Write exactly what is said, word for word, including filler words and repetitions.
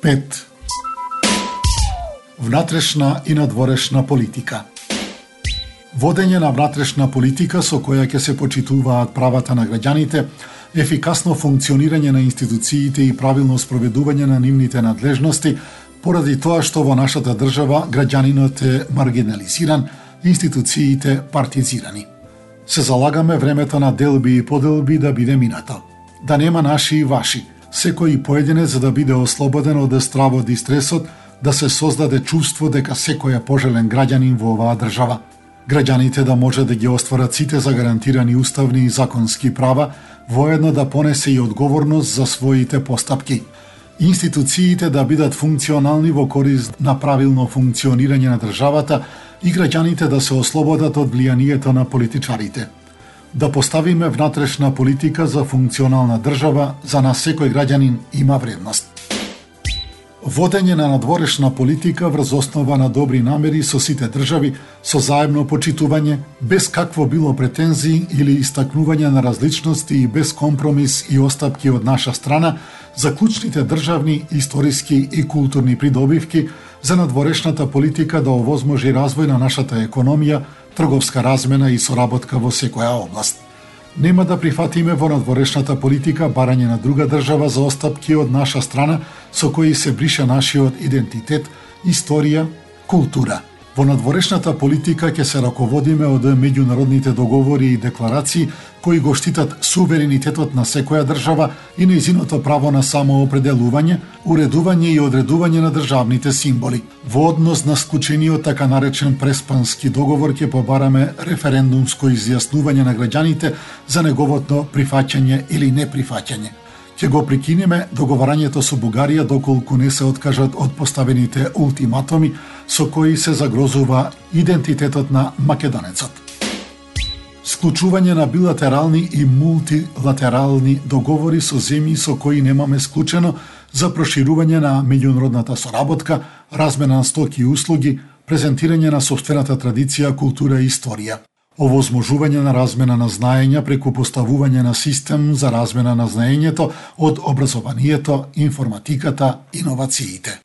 пет. Внатрешна и надворешна политика. Водење на внатрешна политика со која ќе се почитуваат правата на граѓаните, ефикасно функционирање на институциите и правилно спроведување на нивните надлежности, поради тоа што во нашата држава граѓанинот е маргинализиран, институциите партизирани. Се залагаме времето на делби и поделби да биде минато. Да нема наши и ваши, секој поединец за да биде ослободен од стравот и стресот, да се создаде чувство дека секој е пожелен граѓанин во оваа држава. Граѓаните да може да ги остварат сите загарантирани уставни и законски права, воедно да понесе и одговорност за своите постапки. Институциите да бидат функционални во корист на правилно функционирање на државата и граѓаните да се ослободат од влијанието на политичарите. Да поставиме внатрешна политика за функционална држава, за нас секој граѓанин има вредност. Водење на надворешна политика врз основа на добри намери со сите држави, со заедно почитување, без какво било претензии или истакнување на различности и без компромис и остапки од наша страна за клучните државни, историски и културни придобивки, за надворешната политика да овозможи развој на нашата економија, трговска размена и соработка во секоја област. Нема да прифатиме во надворешната политика барање на друга држава за остапки од наша страна со кои се брише нашиот идентитет, историја, култура. Во надворешната политика ќе се раководиме од меѓународните договори и декларации кои го штитат суверенитетот на секоја држава и нејзиното право на самоопределување, уредување и одредување на државните символи. Во однос на склучениот така наречен Преспански договор ќе побараме референдумско изјаснување на граѓаните за неговото прифаќање или неприфаќање. Ќе го прекинеме договарањето со Бугарија доколку не се откажат од поставените ултиматуми со кои се загрозува идентитетот на македонецот. Склучување на билатерални и мултилатерални договори со земји со кои немаме склучено за проширување на меѓународната соработка, размена на стоки и услуги, презентирање на сопствената традиција, култура и историја. Овозможување на размена на знаења преку поставување на систем за размена на знаењето од образованието, информатиката, иновациите.